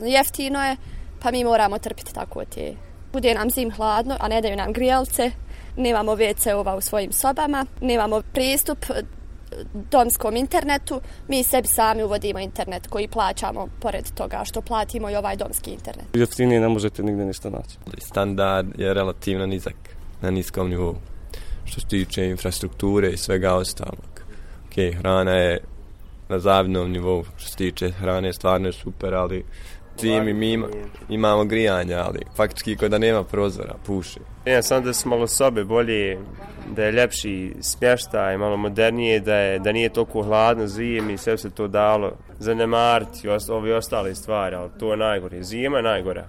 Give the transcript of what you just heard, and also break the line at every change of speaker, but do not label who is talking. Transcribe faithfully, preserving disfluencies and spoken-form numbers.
Jeftino je, pa mi moramo trpiti tako te. Bude nam zim hladno, a ne daju nam grijalce, nemamo ve ce-ova u svojim sobama, nemamo pristup domskom internetu, mi sebi sami uvodimo internet koji plaćamo pored toga što platimo i ovaj domski internet.
Jeftinije ne možete nigde ništa naći.
Standard je relativno nizak, na niskom nivou. Što se tiče infrastrukture i svega ostalog. Ok, hrana je na zavidnom nivou. Što se tiče hrane, stvarno je super, ali zimi mi ima, imamo grijanja, ali faktički kod da nema prozora, puši.
Ja sam da su malo sobe bolje, da je ljepši smještaj, malo modernije, da, je, da nije toliko hladno zimi i sve se to dalo zanemariti, ove ostale stvari, ali to je najgore. Zima je najgora.